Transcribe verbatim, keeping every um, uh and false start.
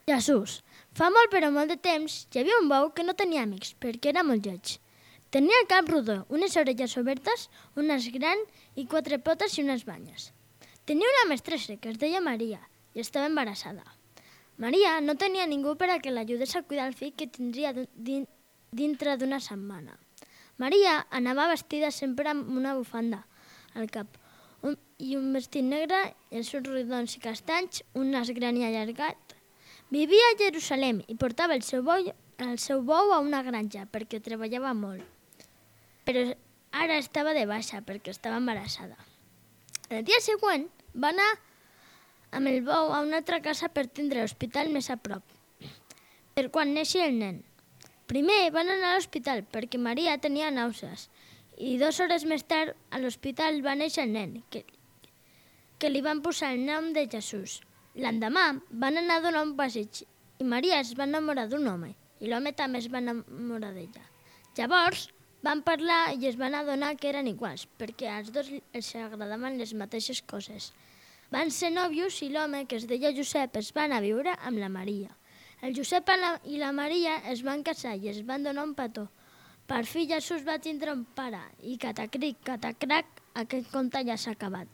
Jesús. Fa molt però molt de temps hi havia un bou que no tenia amics perquè era molt lleig. Tenia el cap rodó, unes orelles obertes, un nas gran i quatre potes i unes banyes. Tenia una mestressa que es deia Maria i estava embarassada. Maria no tenia ningú per a que l'ajudés a cuidar el fill que tindria dintre d'una setmana. Maria anava vestida sempre amb una bufanda al cap un, i un vestit negre, els ulls rodons i castanys, un nas gran i allargat. Vivia a Jerusalem i portava el seu bou, el seu bou a una granja perquè treballava molt. Però ara estava de baixa perquè estava embarassada. El dia següent va anar amb el bou a una altra casa per tindre l'hospital més a prop, per quan neixi el nen. Primer van anar a l'hospital perquè Maria tenia nàusees i dues hores més tard a l'hospital va néixer el nen, que, que li van posar el nom de Jesús. L'endemà van anar a donar un passeig i Maria es va enamorar d'un home i l'home també es va enamorar d'ella. Llavors van parlar i es van adonar que eren iguals, perquè als dos els agradaven les mateixes coses. Van ser nòvios i l'home, que es deia Josep, es va anar a viure amb la Maria. El Josep i la Maria es van casar i es van donar un petó. Per fi Jesús va tindre un pare i catacric, catacrac, aquest conte ja s'ha acabat.